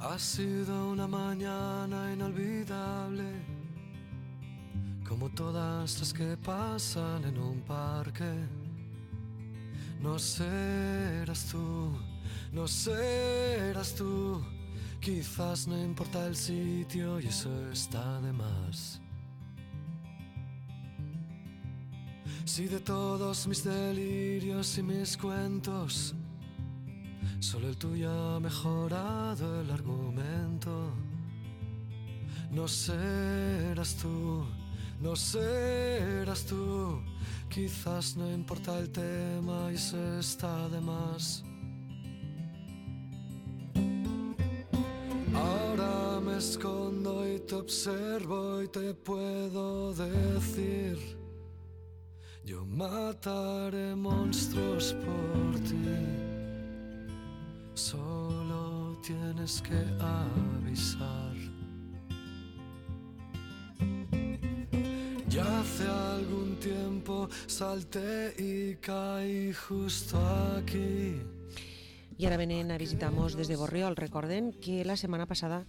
Ha sido una mañana inolvidable, como todas las que pasan en un parque. No serás tú, no serás tú. Quizás no importa el sitio y eso está de más. Si de todos mis delirios y mis cuentos solo el tuyo ha mejorado el argumento, no serás tú, no serás tú. Quizás no importa el tema y eso está de más. Ahora me escondo y te observo y te puedo decir: yo mataré monstruos por ti. Solo tienes que avisar. Ya hace algún tiempo salté y caí justo aquí. I ara venen a visitar-nos des de Borriol. Recorden que la setmana passada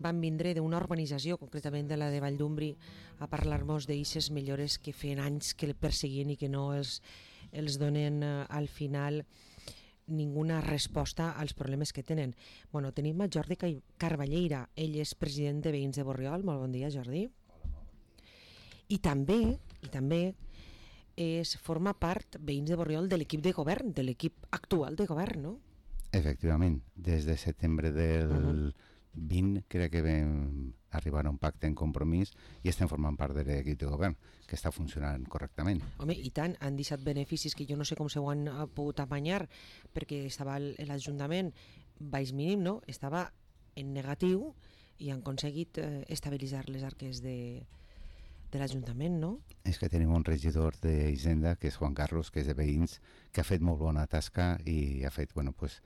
van vindre d'una urbanització, concretament de la de Valldumbri, a parlar-nos d'eixes millores que feien anys que el perseguien i que no els donen al final ninguna resposta als problemes que tenen. Bueno, tenim a Jordi Carballeira, ell és president de Veïns de Borriol. Molt bon dia, Jordi. I també forma part, Veïns de Borriol, de l'equip de govern, de l'equip actual de govern, no? Efectivament, des de setembre del 20 crec que vam arribar a un pacte en compromís i estem formant part de l'equip de govern, que està funcionant correctament. Home, i tant, han deixat beneficis que jo no sé com s'ho han pogut apanyar, perquè estava l'Ajuntament baix mínim, no? Estava en negatiu i han aconseguit estabilitzar les arques de l'Ajuntament, no? És que tenim un regidor d'Hisenda, que és Juan Carlos, que és de Veïns, que ha fet molt bona tasca i ha fet, bueno, pues,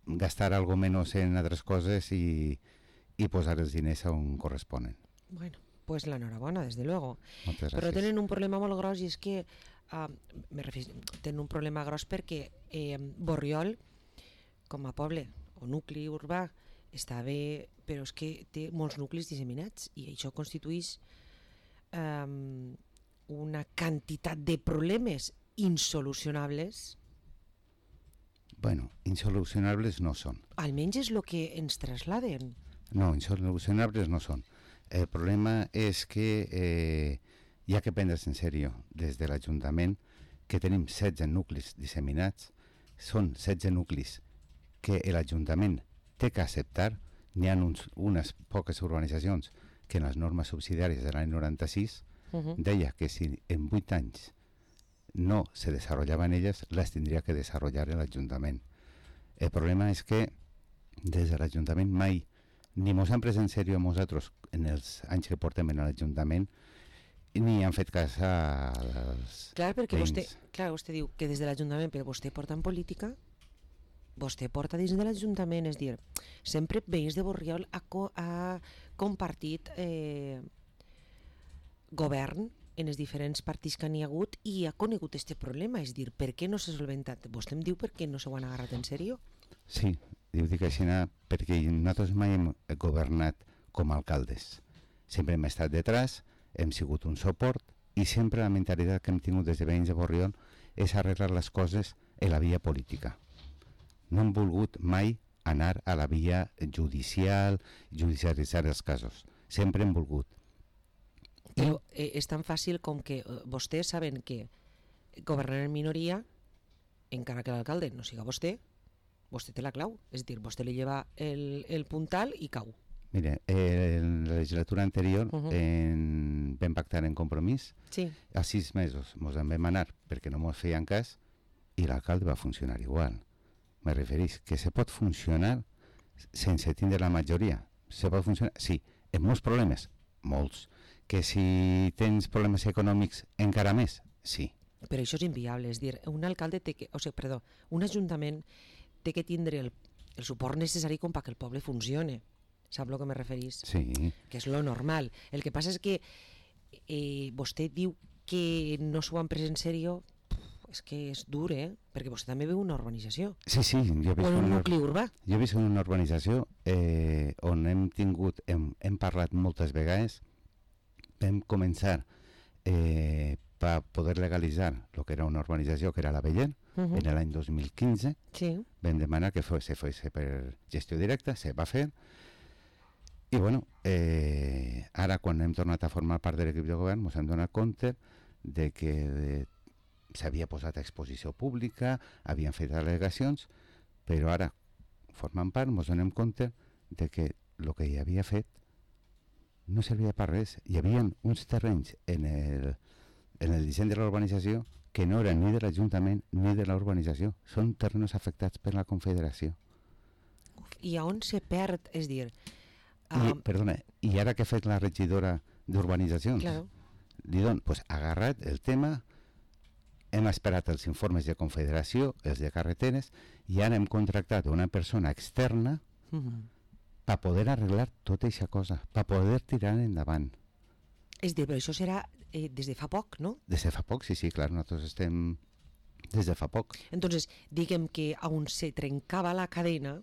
gastar algo menos en altres coses i posar els diners on corresponen. Bueno, pues l'enhorabona, des de luego. Moltes gràcies. Però tenen un problema molt gros i és que tenen un problema gros perquè Borriol, com a poble o nucli urbà, està bé, però és que té molts nuclis disseminats i això constitueix una quantitat de problemes insolucionables. Bueno, insolucionables no són. Almenys és el que ens trasladen. No, insolucionables no són. El problema és que hi ha que prendre's en sèrio des de l'Ajuntament que tenim 16 nuclis disseminats, són 16 nuclis que l'Ajuntament té que acceptar. N'hi ha unes poques urbanitzacions que en les normes subsidiàries de l'any 96 deia que si en 8 anys no se desarrollaven elles, les tindria que desarrollar l'Ajuntament. El problema és que des de l'Ajuntament mai ni mos han pres en sèrio a nosaltres en els anys que portem a l'Ajuntament ni han fet cas als clar, perquè veïns. Vostè diu que des de l'Ajuntament, però vostè porta en política, vostè porta dins de l'Ajuntament, és dir, sempre Veïns de Borriol ha compartit govern en els diferents partits que n'hi ha hagut i ha conegut aquest problema, és dir, per què no s'ha solventat? Vostè em diu per què no s'ho han agarrat en sèrio? Sí, dic així perquè nosaltres mai hem governat com a alcaldes. Sempre hem estat detrás, hem sigut un suport i sempre la mentalitat que hem tingut des de Veïns de Borriol és arreglar les coses en la via política. No hem volgut mai anar a la via judicialitzar els casos. Sempre hem volgut. Però és tan fàcil com que vostès saben que governar en minoria, encara que l'alcalde no siga vostè té la clau, és a dir, vostè li lleva el puntal i cau. Mire, en la legislatura anterior vam pactar en compromís, sí. A 6 mesos ens en vam anar perquè no ens feien cas i l'alcalde va funcionar igual. Me referís que se pot funcionar sense tindre la majoria. Se pot funcionar, sí, amb molts problemes, molts. Que si tens problemes econòmics encara més, sí. Però això és inviable, és dir, un alcalde un ajuntament té que tindre el suport necessari com perquè el poble funcione. Sap el que me referís? Sí. Que és lo normal. El que passa és que vostè diu que no s'ho han pres en sèrio. és que és dur, perquè vostè també viu una urbanització. Sí, jo he O en un nucli urbà. Jo he vist en una urbanització on hem parlat moltes vegades, vam començar per poder legalitzar el que era una urbanització, que era la Beller, en l'any 2015, vam demanar que se fes per gestió directa, se va fer, i bueno, ara quan hem tornat a formar part de l'equip de govern ens hem donat compte de que s'havia posat a exposició pública, havien fet al·legacions, però ara, formant part, ens donem compte de que el que hi havia fet no servia per res. Hi havia uns terrenys en el disseny de la urbanització que no eren ni de l'Ajuntament ni de la urbanització. Són terrenys afectats per la Confederació. I on se perd, és dir... Perdona, i ara que ha fet la regidora d'urbanitzacions? Claro. Li dono, pues, agarrat el tema, hem esperat els informes de Confederació, els de carreteres, i ara hem contractat una persona externa per poder arreglar tota aquesta cosa, per poder tirar endavant. És dir, però això serà des de fa poc, no? Des de fa poc, sí, clar, nosaltres estem des de fa poc. Entonces, diguem que on se trencava la cadena,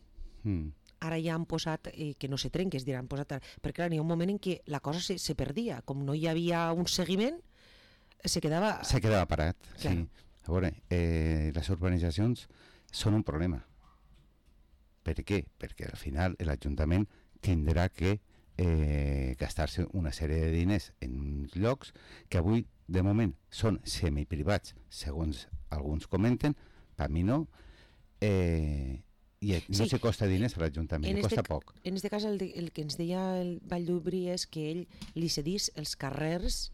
ara ja han posat que no se trenqui, és dir, han posat... Perquè clar, hi ha un moment en què la cosa se perdia, com no hi havia un seguiment, se quedava... Se quedava parat, claro. Sí. A veure, les urbanitzacions són un problema. Per què? Perquè al final l'Ajuntament tindrà que gastar-se una sèrie de diners en uns llocs que avui, de moment, són semiprivats, segons alguns comenten, per mi no, i no se costa diners a l'Ajuntament, costa poc. En aquest cas, el que ens deia el Vall d'Ubrí és que ell li cedís els carrers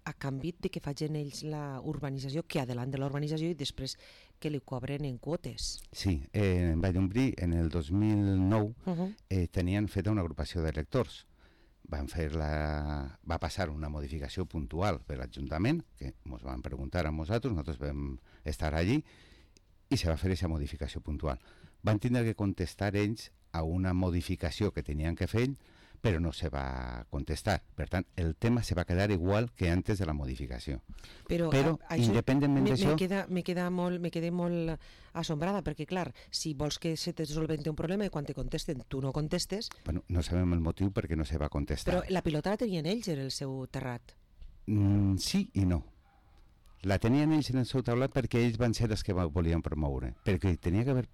a canvi de que facin ells la urbanització, que adelant de la urbanització i després que li cobren en quotes. Sí, en Vall d'Umbrí en el 2009 tenien feta una agrupació de lectors. Va passar una modificació puntual per l'Ajuntament, que ens van preguntar a nosaltres vam estar allí, i se va fer aquesta modificació puntual. Van tindre que contestar ells a una modificació que tenien que fer ells, però no se va contestar. Per tant, el tema se va quedar igual que antes de la modificació. Però independentment d'això... Me quedé molt assombrada, perquè clar, si vols que se te solventi un problema i quan te contesten tu no contestes... Bueno, no sabem el motiu perquè no se va contestar. Però la pilota la tenien ells en el seu terrat. Sí i no. La tenien ells en el seu taulat perquè ells van ser els que volien promoure. Perquè tenia que haver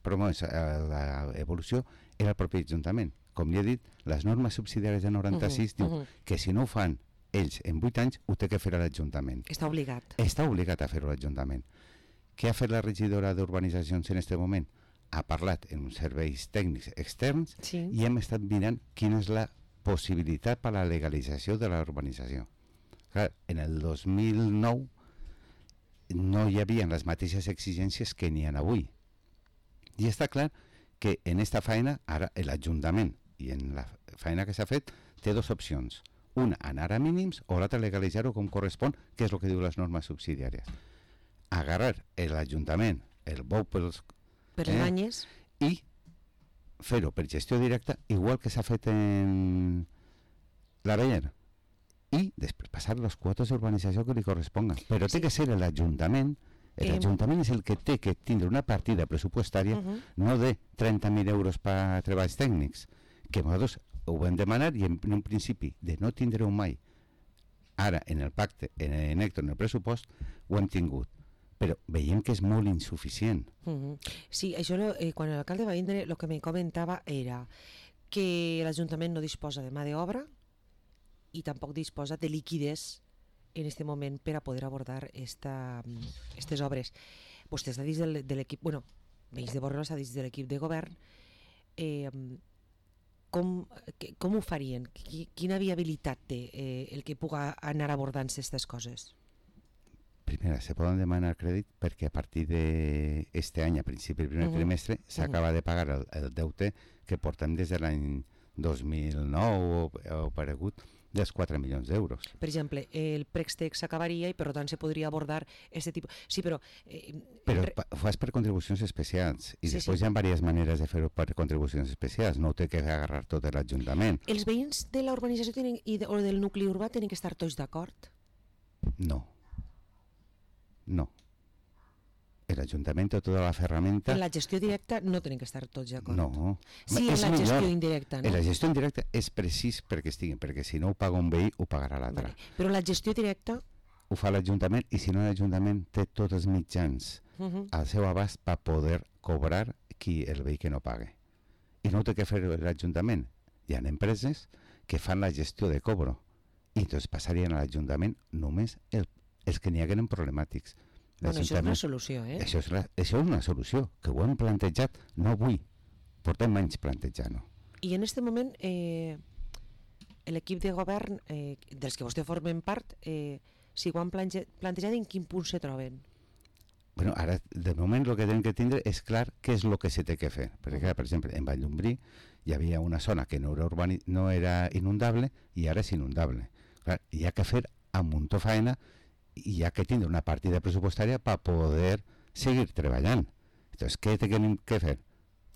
promès l'evolució era el propi Ajuntament. Com li he dit, les normes subsidiàries de 96 diu que si no ho fan ells en 8 anys, ho té que fer l'Ajuntament. Està obligat. Està obligat a fer-ho l'Ajuntament. Què ha fet la regidora d'Urbanitzacions en aquest moment? Ha parlat en uns serveis tècnics externs i hem estat mirant quina és la possibilitat per a la legalització de la urbanització. Clar, en el 2009 no hi havia les mateixes exigències que n'hi ha avui. I està clar que en aquesta feina, ara l'Ajuntament, i en la feina que s'ha fet, té dues opcions. Una, anar a mínims, o l'altra, legalitzar-ho com correspon, que és el que diu les normes subsidiàries. Agarrar l'Ajuntament, el bou per les banyes, i fer-ho per gestió directa, igual que s'ha fet en la Beller, i després passar les quotes d'urbanització que li corresponga. Però té que ser l'Ajuntament. L'Ajuntament és el que té que tindre una partida pressupostària no de 30.000 euros per a treballs tècnics, que nosaltres ho vam demanar i en un principi de no tindre-ho mai. Ara, en el pacte, en el pressupost, ho hem tingut. Però veiem que és molt insuficient. Sí, això quan l'alcalde va vindre el que me comentava era que l'Ajuntament no disposa de mà d'obra i tampoc disposa de liquiditat en aquest moment per a poder abordar aquestes obres. Vostè està dins de l'equip, Veïns de Borriol està dins de l'equip de govern. Com ho farien? Quina viabilitat té el que pugui anar abordant aquestes coses? Primera, se poden demanar crèdit perquè a partir d'aquest any, a principi del primer trimestre, s'acaba de pagar el deute que portem des de l'any 2009 o paregut, dels 4 milions d'euros. Per exemple, el préstec s'acabaria i per tant se podria abordar aquest tipus... Sí, però... Però ho fas per contribucions especials i després hi ha diverses maneres de fer-ho per contribucions especials, no ho té que agarrar tot l'Ajuntament. Els veïns de la urbanització o del nucli urbà tenen que estar tots d'acord? No. l'Ajuntament té tota la ferramenta... En la gestió directa no tenen que estar tots d'acord. No. Sí, en la gestió indirecta, no? En la gestió indirecta és precís perquè estiguin, perquè si no ho paga un veí, ho pagarà l'altre. Vale. Però la gestió directa... Ho fa l'Ajuntament i si no l'Ajuntament té tots els mitjans al seu abast per poder cobrar el veí que no pague. I no ho té que fer l'Ajuntament. Hi ha empreses que fan la gestió de cobro i doncs passarien a l'Ajuntament només els que n'hi hagueren problemàtics. Bueno, això és una solució, eh? Això és una solució, que ho hem plantejat, no avui, portem anys plantejant-ho. I en aquest moment l'equip de govern dels que vostè formen part, si ho han plantejat, en quin punt se troben? Bueno, ara, de moment, el que hem de tindre és clar què és el que se té que fer. Perquè, per exemple, en Valldombrí hi havia una zona que no era inundable i ara és inundable. Clar, hi ha que fer amb un muntó faena i hi ha que tindre una partida pressupostària per poder seguir treballant. Llavors, què tenim que fer?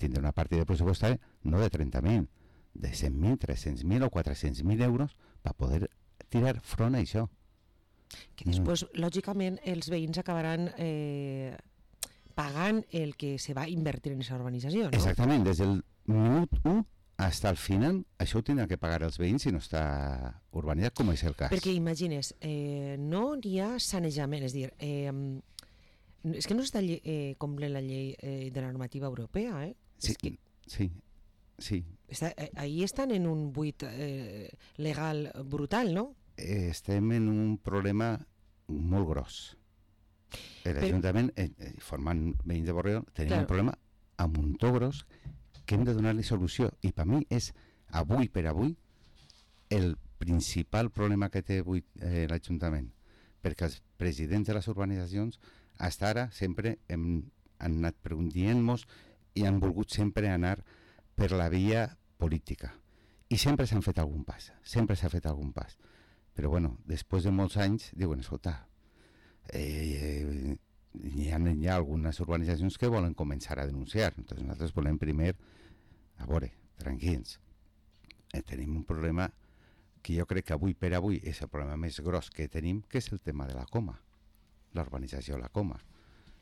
Tindre una partida pressupostària no de 30.000, de 100.000, 300.000 o 400.000 euros per poder tirar front a això. Que després, lògicament, els veïns acabaran pagant el que se va invertir en aquesta urbanització, no? Exactament, des del minut 1 fins al final, això ho tindrà que pagar els veïns si no està urbanitzat, com és el cas. Perquè imagines, no hi ha sanejament, és a dir, és que no s'està complint la llei de la normativa europea, eh? Sí, sí. Ahí estan en un buit legal brutal, no? Estem en un problema molt gros. L'Ajuntament, formant veïns de Borriol, tenim un problema a muntó gros que hem de donar-li solució. I per mi és, avui per avui, el principal problema que té avui l'Ajuntament. Perquè els presidents de les urbanitzacions, fins ara, sempre han anat dient-nos i han volgut sempre anar per la via política. I sempre s'han fet algun pas, Però, bueno, després de molts anys, diuen, escolta, hi ha algunes urbanitzacions que volen començar a denunciar. Entonces nosaltres volem primer, a veure, tranquils. Tenim un problema que jo crec que avui per avui és el problema més gros que tenim, que és el tema de la Coma, la urbanització La Coma.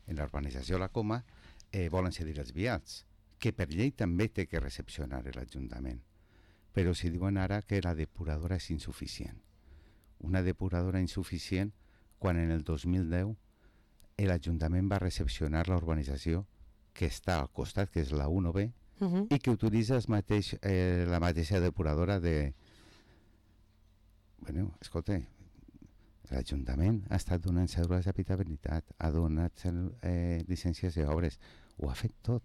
En la urbanització La Coma volen cedir els vials, que per llei també té que recepcionar l'Ajuntament. Però si diuen ara que la depuradora és insuficient. Una depuradora insuficient quan en el 2010 l'Ajuntament va recepcionar la urbanització que està al costat, que és la 1B, i que utilitza la mateixa depuradora de... Bueno, escolta, l'Ajuntament ha estat donant cèdules d'habitabilitat, ha donat llicències d'obres, ho ha fet tot.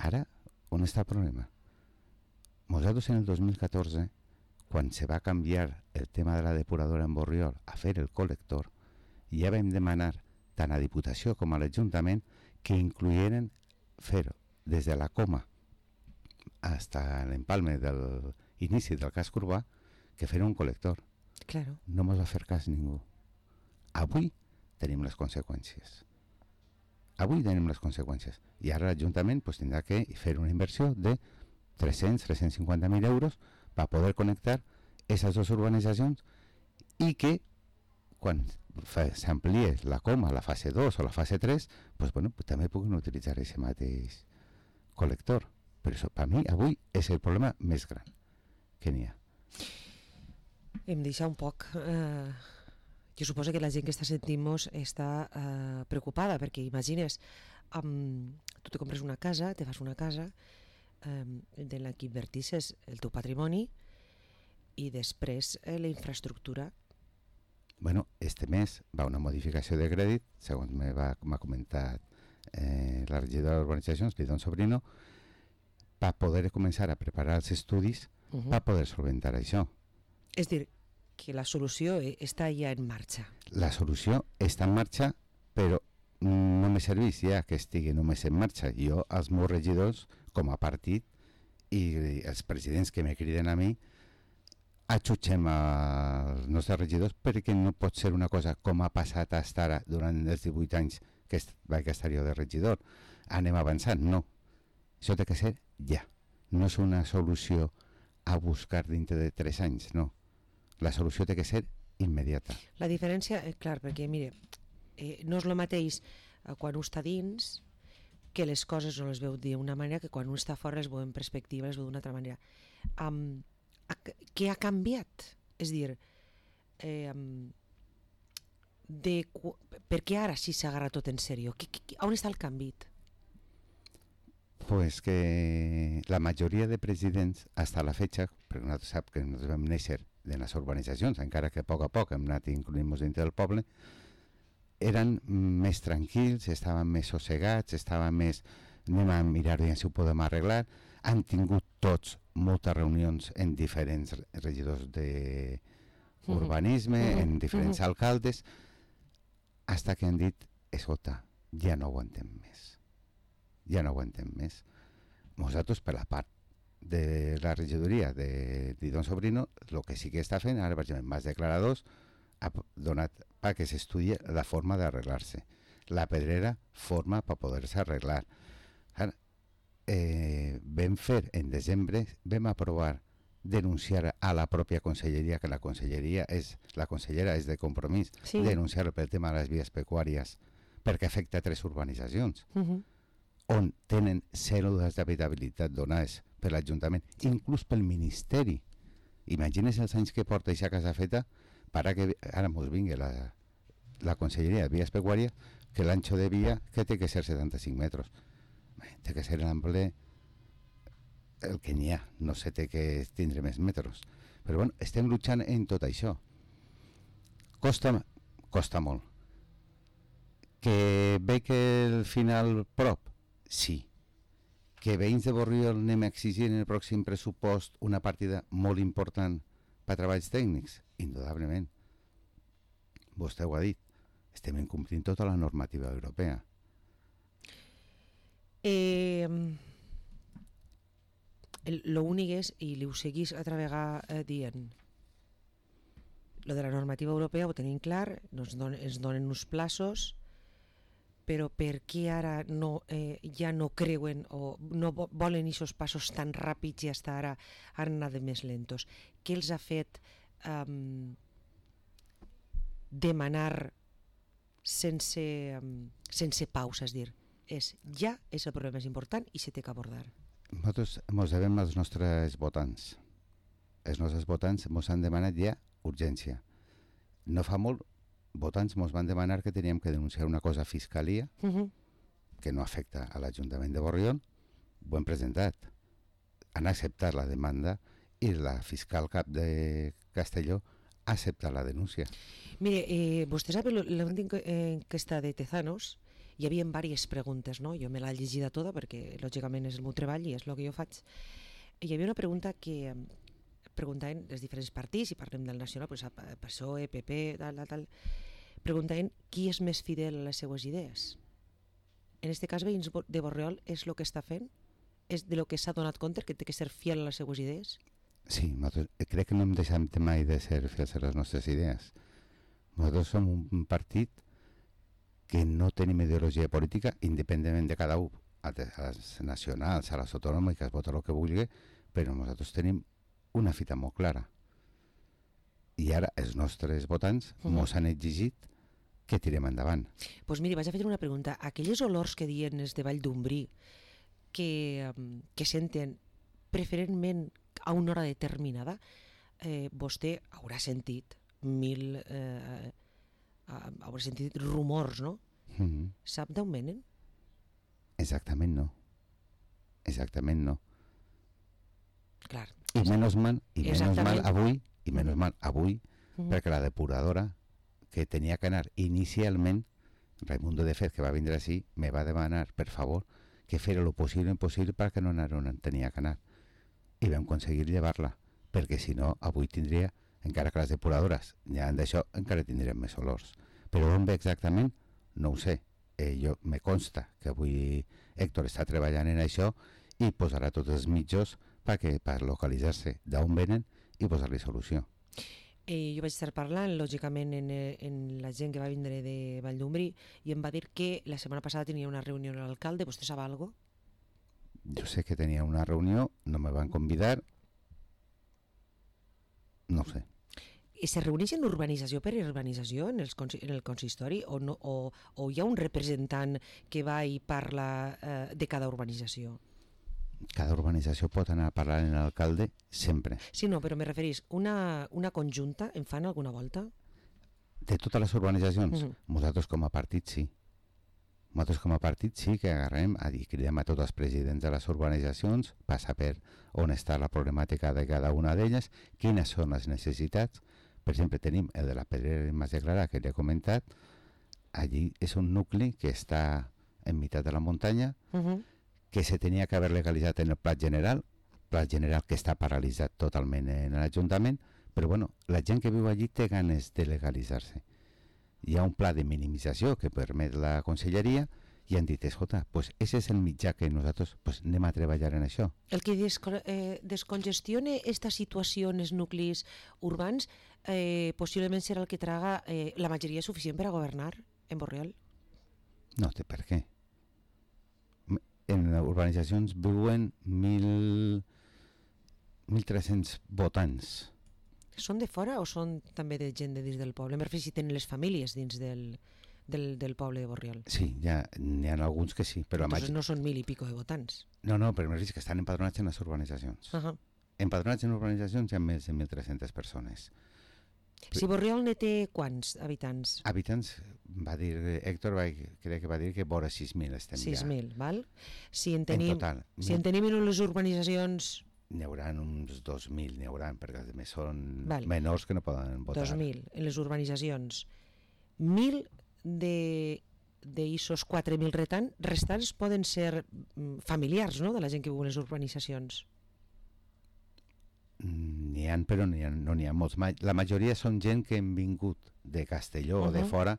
Ara, on està el problema? Nosaltres en el 2014, quan se va canviar el tema de la depuradora en Borriol a fer el col·lector, ja vam demanar tant a Diputació com a l'Ajuntament que incloïren fer des de la Coma fins a l'empalme de l'inici del casc urbà que fer un col·lector. Claro. No ens va fer cas ningú. Avui tenim les conseqüències. I ara l'Ajuntament tindrà que fer una inversió de 350.000 euros per poder connectar aquestes dues urbanitzacions i que quan s'amplie la Coma a la fase 2 o la fase 3, també puguin utilitzar aquest mateix col·lector. Però això, per mi, avui és el problema més gran que n'hi ha. Em deixa un poc... Jo suposo que la gent que està sentint-nos està preocupada, perquè imagines, tu te compres una casa, te fas una casa, de la que invertisses el teu patrimoni i després la infraestructura. Bueno, este mes va una modificació de crèdit, segons m'ha comentat la regidora d'Urbanitzacions, Lidón Sobrino, per poder començar a preparar els estudis per poder solventar això. És dir, que la solució està ja en marxa. La solució està en marxa, però no me serveix ja que estigui només en marxa. Jo, els meus regidors, com a partit, i els presidents que me criden a mi, atxutxem els nostres regidors perquè no pot ser una cosa com ha passat fins ara durant els 18 anys que vaig estar jo de regidor. Anem avançant, no. Això té que ser ja. No és una solució a buscar dintre de 3 anys, no. La solució té que ser immediata. La diferència, clar, perquè mire, no és el mateix quan un està dins, que les coses no les veu d'una manera, que quan un està fora les veu en perspectiva, les veu d'una altra manera. Què ha canviat? És a dir, per què ara sí s'agarra tot en sèrio? On està el canvi? Pues que la majoria de presidents, hasta la fecha, perquè nosaltres sap que nosaltres vam néixer de les urbanitzacions, encara que a poc hem anat incluint-nos dintre del poble, eren més tranquils, estaven més sossegats, estaven més... anem a mirar si ho podem arreglar. Han tingut tots moltes reunions en diferents regidors d'urbanisme, en diferents alcaldes, hasta que han dit, escolta, ja no aguantem més. Ja no aguantem més. Nosaltres, per la part de la regidoria de Don Sobrino, el que sí que està fent, ara, per exemple, Mas Declaradors, ha donat perquè s'estudi la forma d'arreglar-se. La pedrera forma per poder-se arreglar. Ara, vam fer, en desembre, vam aprovar denunciar a la pròpia conselleria, que la consellera és de Compromís, sí. Denunciar pel tema de les vies pecuàries, perquè afecta 3 urbanitzacions, on tenen cèl·lules d'habitabilitat donades per l'Ajuntament, inclús pel Ministeri. Imagines els anys que porta aquesta casa feta para que ara mos vingui la conselleria de vies pecuàries, que l'ancho de via que té que ser 75 metres. Té que ser l'ample el que n'hi ha, no sé, té que tindre més metres. Però bueno, estem lluitant en tot això. Costa molt. Que ve que el final prop? Sí. Que veïns de Borriol anem a exigir en el pròxim pressupost una partida molt important per a treballs tècnics? Indudablement. Vostè ho ha dit. Estem incomplint tota la normativa europea. L'únic és, i li ho seguís altra vegada dient, lo de la normativa europea ho tenim clar, ens donen uns plaços, però per què ara ja no creuen o no volen aquests passos tan ràpids i fins ara han anat més lentos? Què els ha fet demanar sense pausa? És dir, ja és el problema més important i s'ha d'abordar. Nosaltres ens devem als nostres votants. Els nostres votants ens han demanat ja urgència. No fa molt, votants ens van demanar que teníem que denunciar una cosa a Fiscalia que no afecta a l'Ajuntament de Borriol. Ho hem presentat. Han acceptat la demanda i la fiscal cap de Castelló ha acceptat la denúncia. Mire, vostè sap l'última enquesta de Tezanos, hi havia diverses preguntes, no? Jo me l'he llegida tota perquè lògicament és el meu treball i és el que jo faig. Hi havia una pregunta que preguntaven els diferents partits, i parlem del nacional, pues, PSOE, PP, tal, preguntaven qui és més fidel a les seues idees. En aquest cas, veïns de Borriol és el que està fent? És de lo que s'ha donat compte, que té que ser fiel a les seues idees? Sí, nosaltres crec que no hem deixat mai de ser fiels a les nostres idees. Nosaltres som un partit que no tenim ideologia política, independentment de cada un, a les nacionals, a les autonòmiques, vota el que vulgui, però nosaltres tenim una fita molt clara. I ara els nostres votants ens han exigit que tirem endavant. Doncs miri, vaig a fer una pregunta. Aquelles olors que diuen els de Vall d'Umbrí, que senten preferentment a una hora determinada, vostè haurà sentit haurà sentit rumors, no? Sap d'on venen? Exactament no. Clar. I menys mal avui, perquè la depuradora que tenia que anar inicialment, Raimundo de Fez, que va vindre així, me va demanar, per favor, que fera lo possible impossible perquè no anara on tenia que anar. I vam aconseguir llevar-la, perquè si no, avui tindria, encara que les depuradores ja han d'això, encara tindrem més olors. Però on ve exactament? No ho sé. Me consta que avui Héctor està treballant en això i posarà tots els mitjans per localitzar-se d'on venen i posar-li solució. Jo vaig estar parlant, lògicament, en la gent que va vindre de Vall d'Umbrí i em va dir que la setmana passada tenia una reunió amb l'alcalde. Vostè sap alguna cosa? Jo sé que tenia una reunió, no me van convidar, no ho sé. se reuneixen urbanització per urbanització en el consistori o hi ha un representant que va i parla de cada urbanització? Cada urbanització pot anar a parlar amb l'alcalde sempre. Sí, no, però me referís, una conjunta en fan alguna volta? De totes les urbanitzacions? Nosaltres com a partit sí. Nosaltres com a partit sí que agarrem i cridem a tots els presidents de les urbanitzacions per saber on està la problemàtica de cada una d'elles, quines són les necessitats. Per exemple, tenim el de la Pedrera i Mas de Clarà, que l'he comentat. Allí és un nucli que està en meitat de la muntanya, que se tenia que haver legalitzat en el Pla General que està paralitzat totalment en l'Ajuntament, però bueno, la gent que viu allí té ganes de legalitzar-se. Hi ha un pla de minimització que permet la conselleria i han dit, escolta, pues ese és el mitjà que nosaltres anem a treballar en això. El que descongestione esta situació en els nuclis urbans possiblement serà el que traga la majoria suficient per a governar en Borriol? No té per què. En les urbanitzacions viuen 1.300 votants. Són de fora o són també de gent de dins del poble? Me refereixo si tenen les famílies dins del poble de Borriol. Sí, n'hi ha alguns que sí. Però entonces no són 1.000 i pico de votants. No, però me refereixo que estan empadronats en les urbanitzacions. Empadronats en urbanitzacions hi ha més de 1.300 persones. Si Borriol ne té quants habitants? Habitants, va dir Héctor, crec que va dir que vora 6.000 estem 6.000, val? Si en tenim en les urbanitzacions... N'hi haurà uns 2.000, perquè a més són menors que no poden votar. 2.000 en les urbanitzacions. 1.000 d'issos 4.000 restants poden ser familiars, no?, de la gent que viu en les urbanitzacions. N'hi ha, però no n'hi ha molts. La majoria són gent que han vingut de Castelló o de fora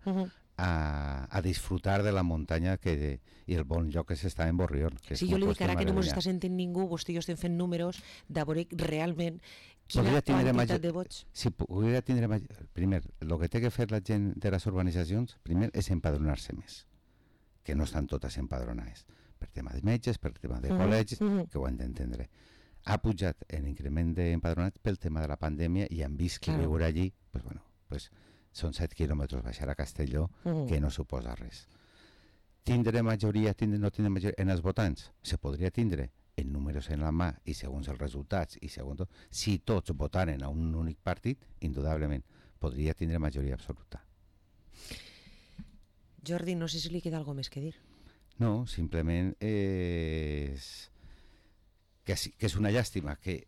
a disfrutar de la muntanya i el bon lloc que s'està en Borriol. Sí, jo li dic ara que no ens està sentint ningú, vostè i jo estem fent números de veure realment quina quantitat de vots. Si poguera tindre... Primer, el que té que fer la gent de les urbanitzacions, primer, és empadronar-se més, que no estan totes empadronades, per tema de metges, per tema de col·legis, que ho han d'entendre. Ha pujat l'increment d'empadronats pel tema de la pandèmia i han vist que viure allí, són 7 quilòmetres baixar a Castelló, que no suposa res. Tindre majoria, no tindre majoria en els votants? Se podria tindre en números en la mà i segons els resultats, i segons tot, si tots votaren a un únic partit, indudablement podria tindre majoria absoluta. Jordi, no sé si li queda alguna més que dir. No, simplement que és una llàstima que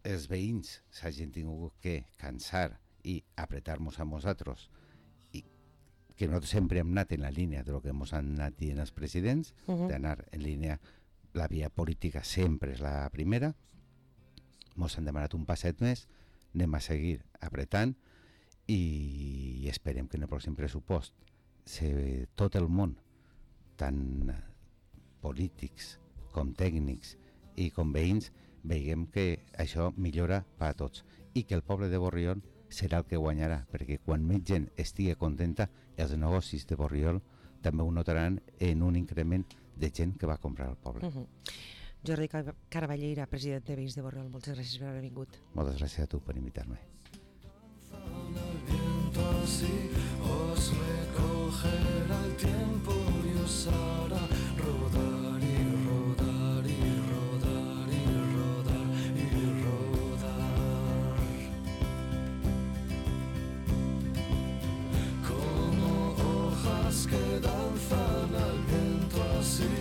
els veïns s'hagin tingut que cansar i apretar-nos a nosaltres i que nosaltres sempre hem anat en la línia del que ens han anat dient els presidents, d'anar en línia, la via política sempre és la primera, ens han demanat un passet més, anem a seguir apretant i esperem que en el pròxim pressupost tot el món, tant polítics com tècnics i com veïns, veiem que això millora per a tots i que el poble de Borriol serà el que guanyarà, perquè quan més gent estigui contenta, els negocis de Borriol també ho notaran en un increment de gent que va comprar al poble. Jordi Caraballeira, president de Veïns de Borriol, moltes gràcies per haver vingut. Moltes gràcies a tu per invitar-me. Que danzan al viento así,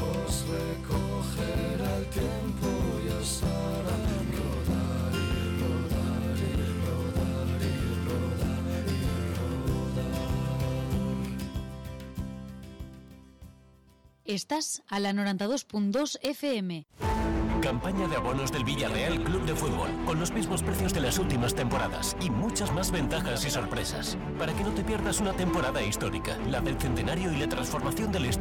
os recogerá el tiempo y os hará rodar y rodar y rodar y rodar y rodar. Estás a la 92.2 FM. Campaña de abonos del Villarreal Club de Fútbol, con los mismos precios de las últimas temporadas y muchas más ventajas y sorpresas. Para que no te pierdas una temporada histórica, la del centenario y la transformación del estadio